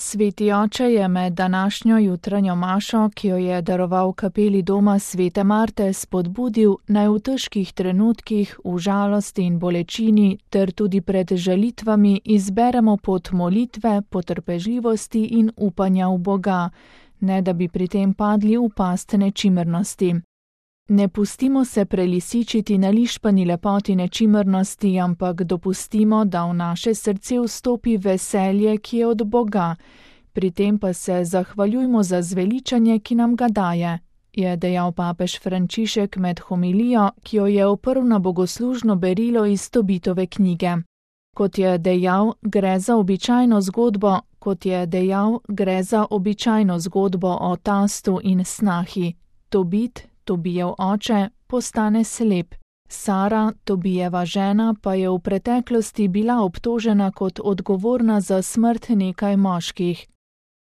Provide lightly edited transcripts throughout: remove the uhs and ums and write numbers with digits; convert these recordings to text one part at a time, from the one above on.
Sveti oče je med današnjo jutranjo mašo, ki jo je daroval kapeli doma svete Marte, spodbudil, naj v težkih trenutkih, v žalosti in bolečini ter tudi pred žalitvami izberemo pot molitve, potrpežljivosti in upanja v Boga, ne da bi pri tem padli v past nečimrnosti. Ne pustimo se prelisičiti na lišpani lepoti nečimrnosti, ampak dopustimo, da v naše srce vstopi veselje, ki je od Boga. Pri tem pa se zahvaljujmo za zveličanje, ki nam ga daje, je dejal papež Frančišek med homilijo, ki jo je oprl na bogoslužno berilo iz Tobitove knjige. Kot je dejal, gre za običajno zgodbo o tastu in snahi. Tobijev oče, postane slep. Sara, Tobijeva žena, pa je v preteklosti bila obtožena kot odgovorna za smrt nekaj moških.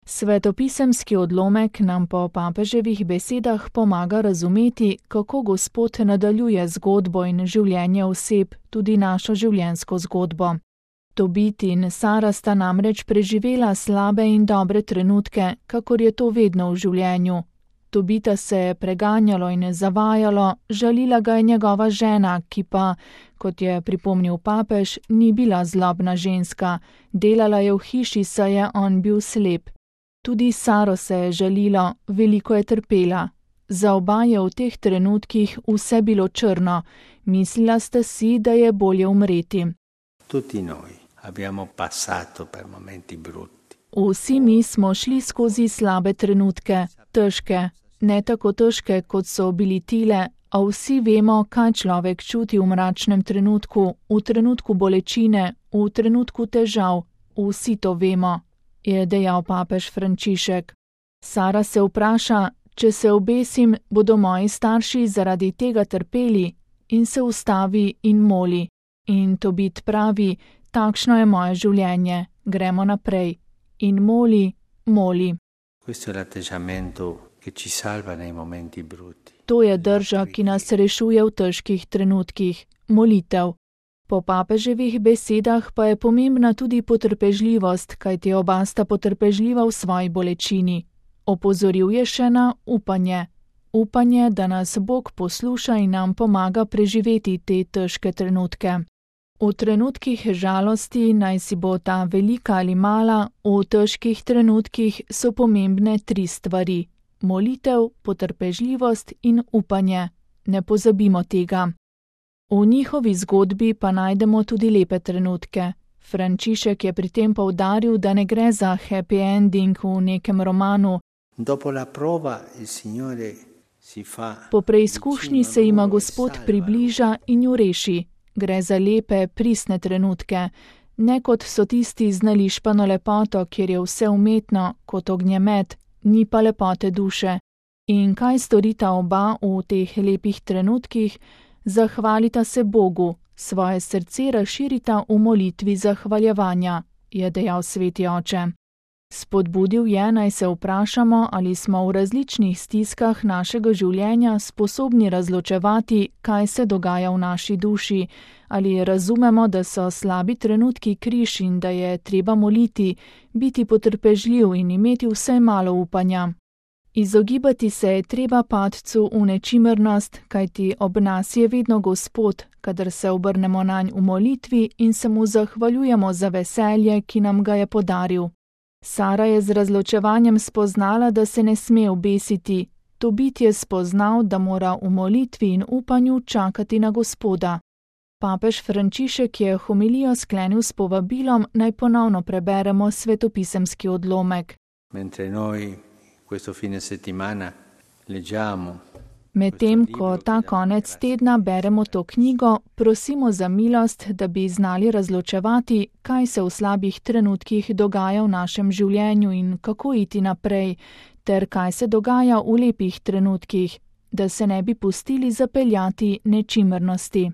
Svetopisemski odlomek nam po papeževih besedah pomaga razumeti, kako Gospod nadaljuje zgodbo in življenje oseb, tudi našo življenjsko zgodbo. Tobit in Sara sta namreč preživela slabe in dobre trenutke, kakor je to vedno v življenju. Tobita se je preganjalo in zavajalo, žalila ga je njegova žena, ki pa, kot je pripomnil papež, ni bila zlobna ženska, delala je v hiši, saj je on bil slep. Tudi Saro se je žalilo, veliko je trpela. Za oba je v teh trenutkih vse bilo črno, mislila sta si, da je bolje umreti. Tutti noi abbiamo passato per momenti brutti. Vsi mi smo šli skozi slabe trenutke, težke, ne tako težke, kot so bili tile, a vsi vemo, kaj človek čuti v mračnem trenutku, v trenutku bolečine, v trenutku težav, vsi to vemo, je dejal papež Frančišek. Sara se vpraša, če se obesim, bodo moji starši zaradi tega trpeli, in se ustavi in moli. In Tobit pravi, takšno je moje življenje, gremo naprej. In moli. Questo è l'atteggiamento che ci salva nei momenti brutti. To je drža, ki nas rešuje v težkih trenutkih, molitev. Po papeževih besedah pa je pomembna tudi potrpežljivost, kajti oba sta potrpežljiva v svoji bolečini. Opozoril je še na upanje. Upanje, da nas Bog posluša in nam pomaga preživeti te težke trenutke. V trenutkih žalosti, naj si bo ta velika ali mala, v težkih trenutkih so pomembne 3 stvari: molitev, potrpežljivost in upanje. Ne pozabimo tega. V njihovi zgodbi pa najdemo tudi lepe trenutke. Frančišek je pri tem poudaril, da ne gre za happy ending v nekem romanu. Po preizkušnji se jima Gospod približa in ju reši. Gre za lepe, pristne trenutke, ne kot so tisti z nališpano lepoto, kjer je vse umetno, kot ognjemet, ni pa lepote duše. In kaj storita oba v teh lepih trenutkih? Zahvalita se Bogu, svoje srce razširita v molitvi zahvaljevanja, je dejal sveti oče. Spodbudil je, naj se vprašamo, ali smo v različnih stiskah našega življenja sposobni razločevati, kaj se dogaja v naši duši, ali razumemo, da so slabi trenutki križ in da je treba moliti, biti potrpežljiv in imeti vsaj malo upanja. Izogibati se je treba padcu v nečimrnost, kajti ob nas je vedno Gospod, kadar se obrnemo nanj v molitvi in se mu zahvaljujemo za veselje, ki nam ga je podaril. Sara je z razločevanjem spoznala, da se ne sme obesiti. Tobit je spoznal, da mora v molitvi in upanju čakati na Gospoda. Papež Frančišek je homilijo sklenil s povabilom, naj ponovno preberemo svetopisemski odlomek. Medtem, ko ta konec tedna beremo to knjigo, prosimo za milost, da bi znali razločevati, kaj se v slabih trenutkih dogaja v našem življenju in kako iti naprej, ter kaj se dogaja v lepih trenutkih, da se ne bi pustili zapeljati nečimrnosti.